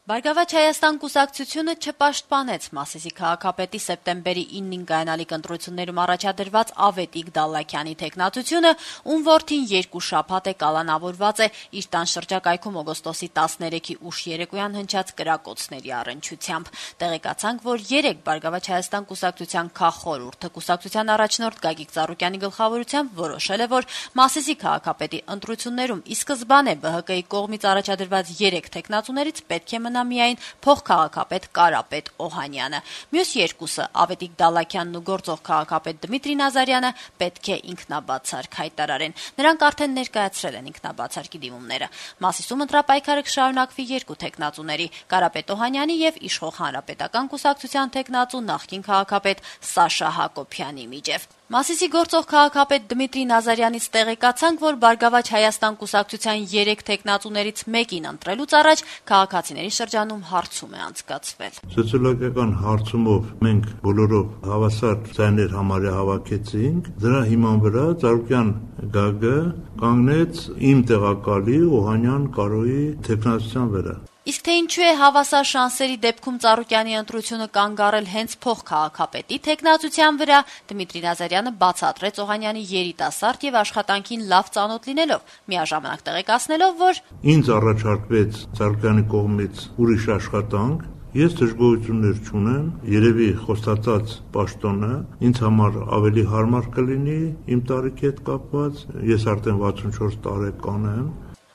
Բարգավաճ Հայաստան կուսակցությունը չպաշտպանեց Մասիսի քաղաքապետի սեպտեմբերի 9-ին կայանալիք ընտրություններում առաջադրված Ավետիք Դալլաքյանի թեկնածությունը, ում որդին 2 շաբաթ է կալանավորված է իր տան շրջակայքում օգոստոսի 13-ի ուշ երեկոյան հնչած կրակոցների առնչությամբ։ Տեղեկացանք, որ 3 Բարգավաճ Հայաստան կուսակցության քաղխորհուրդը կուսակցության առաջնորդ Գագիկ Ծառուկյանի գլխավորությամբ որոշել է, որ Մասիսի քաղաքապետի ընտրություններում ի սկզբանե ԲՀԿ-ի կողմից առաջադրված 3 թեկնածուներից պետք է մնա միայն փոխքաղաքապետ Կարապետ Օհանյանը։ Մյուս 2-ը Ավետիք Դալլաքյանն ու գործող քաղաքապետ Դմիտրի Նազարյանը պետք է ինքնաբացարկ հայտարարեն։ Նրանք արդեն ներկայացրել են ինքնաբացարկի դիմումները։ Մասիսում ընտրապայքարը կշարունակվի 2 թեկնածուների՝ Կարապետ Օհանյանի եւ Իշխող Հանրապետական կուսակցության թեկնածու նախկին քաղաքապետ Սաշա Հակոբյանի միջև։ Մասիսի գործող քաղաքապետ Դմիտրի Նազարյանից տեղեկացանք, որ Բարգավաճ Հայաստան կուսակցության 3 թեկնածուներից մեկին ընտրելուց առաջ քաղաքացիների շրջանում հարցում է անցկացվել։ Սոցիոլոգիական հարցումով մենք բոլորով հավասար ձայներ համարյա հավաքեցինք, դրա հիման վրա Ծառուկյան Գագը կանգնեց իմ տեղակալի Օհանյան Կարոյի թեկնածության վրա։ Իսկ թե ինչու է հավասար շանսերի դեպքում Ծառուկյանի ընտրությունը կանգ առել հենց փոխքաղաքապետի թեկնածության վրա, Դմիտրի Նազարյանը բացատրեց Օհանյանի երիտասարդ եւ աշխատանքին լավ ծանոթ լինելով, միաժամանակ տեղեկացնելով, որ ինձ առաջարկվեց Ծառուկյանի կողմից ուրիշ աշխատանք, ես դժգոհություններ չունեմ, երևի խոստացած պաշտոնը ինձ համար ավելի հարմար կլինի իմ տարիքի հետ կապված, ես արդեն 64 տարեկան եմ։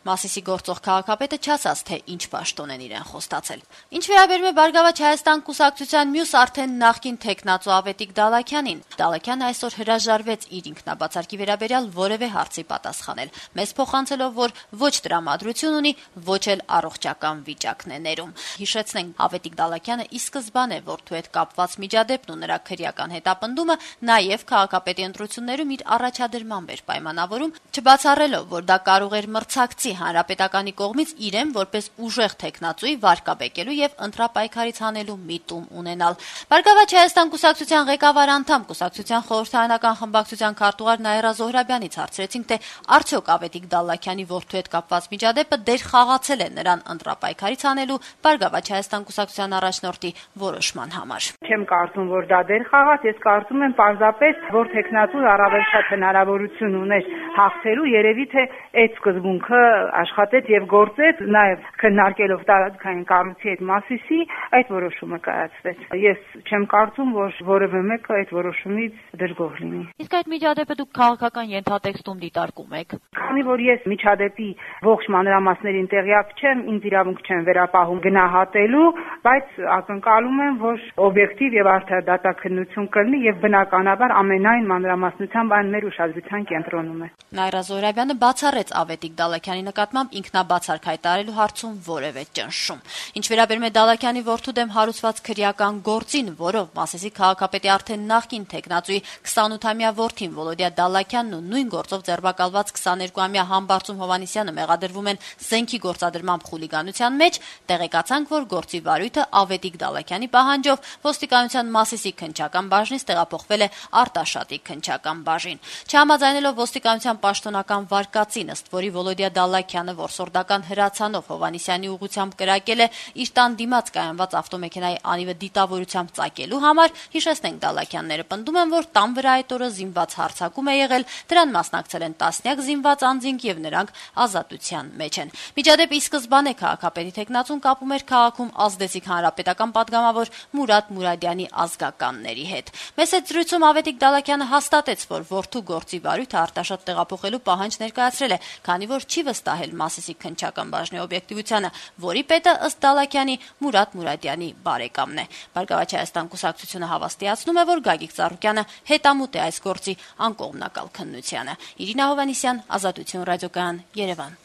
Մասիսի գործող քաղաքապետը չասաց, թե ինչ պաշտոն են իրեն խոստացել։ Ինչ վերաբերում է Բարգավաճ Հայաստան կուսակցության մյուս արդեն նախկին թեկնածու Ավետիք Դալլաքյանին, Դալլաքյանը այսօր հրաժարվեց իր ինքնաբացարկի վերաբերյալ որևէ հարցի պատասխանել, մեզ փոխանցելով, որ ոչ տրամադրություն ունի, ոչ էլ առողջական վիճակն է ներում։ Հիշեցնենք, Ավետիք Դալլաքյանը ի սկզբանե որդու հետ կապված միջադեպն ու նրա քրեական հետապնդումը նաև քաղաքապետի ընտրություններում իր առաջադրմամբ էր պայմանավորում, չբացառելով, որ դա կարող էր մրցակցի Հանրապետականի կողմից իրեն որպես ուժեղ թեկնածուի վարկաբեկելու եւ ընտրապայքարից հանելու միտում ունենալ։ Բարգավաճ Հայաստան կուսակցության ղեկավար անդամ կուսակցության խորհրդարանական խմբակցության քարտուղար Նաիրա Զոհրաբյանից հարցրեցինք, թե արդյոք Ավետիք Դալլաքյանի որդու հետ կապված միջադեպը դեր խաղացել է նրան ընտրապայքարից հանելու Բարգավաճ Հայաստան կուսակցության առաջնորդի որոշման համար։ Չեմ կարծում, որ դա դեր խաղաց, ես կարծում եմ պարզապես, որ թեկնածուն առավել շատ հնարավորություն ուներ հաղթելու, երևի թե այդ սկզբունքը աշխատեց եւ գործեց, նաեւ քննարկելով տարածքային կառույցի հետ Մասիսի, այդ որոշումը կայացվեց։ Ես չեմ կարծում, որ որևէ մեկը այդ որոշումից դժգոհ լինի։ Իսկ այդ միջադեպը դուք քաղաքական ենթատեքստում դիտարկում եք։ Քանի որ ես միջադեպի ողջ մանրամասներին տեղյակ չեմ, ինձ իրավունք չեմ վերապահում գնահատելու, բայց ակնկալում եմ, որ օբյեկտիվ եւ արդար դատաքննություն կլինի եւ բնականաբար ամենայն մանրամասնությամբ այն մեր ուշադրության կենտրոնում է։ Նաիրա Զոհրաբյանը բացառեց Ավետիք Դալլաքյանի նկատմամբ ինքնաբացարկ հայտարարելու հարցում որևէ ճնշում։ Ինչ վերաբերում է Դալլաքյանի որդու դեմ հարուցված քրեական գործին, որով Մասիսի քաղաքապետի արդեն նախկին թեկնածուի 28-ամյա որդին Վոլոդիա Դալլաքյանն ու նույն գործով ձերբակալված 22-ամյա Համբարձում Հովհաննիսյանը մեղադրվում են զենքի գործադրմամբ խուլիգանության մեջ, տեղեկացանք, որ գործի վարույթը Ավետիք Դալլաքյանի պահանջով ոստիկանության Մասիսի քննչական բաժնից տեղափոխվել է Արտաշատի քննչական բաժին։ Չհամաձայնելով ոստիկանության պաշտոնական վարկածին, ըստ որի Վոլոդիա Դալլաքյանը որսորդական հրացանով Հովհաննիսյանի ուղղությամբ կրակել է իր տան դիմաց կայանված ավտոմեքենայի անիվը դիտավորությամբ ծակելու համար, հիշեցնենք Դալլաքյանները պնդում են, որ տան վրա այդ օրը զինված հարձակում է եղել, դրան մասնակցել են տասնյակ զինված անձինք եւ նրանք ազատության մեջ են։ Միջադեպի սկզբանե քաղաքապետի թեկնածուն կապում էր քաղաքում ազդեցիկ հանրապետական պատգամավոր Մուրադ Մուրադյանի ազգականների հետ։ Մեծ զրույցում Ավետիք Դալլաքյանը հաստատեց, որ որդու գործի վարույթը Արտաշատ տեղափոխելու պահանջ ներկայացրել է, քանի որ չի վստահել Մասիսի քննչական բաժնի օբյեկտիվությանը, որի պետը ըստ Դալլաքյանի Մուրադ Մուրադյանի բարեկամն է։ Բարգավաճ Հայաստան կուսակցությունը հավաստիացնում է, որ Գագիկ Ծառուկյանը հետամուտ է այս գործի անկողմնակալ քննությանը։ Իրինա Հովհաննիսյան, Ազատություն ռադիոկայան, Երևան։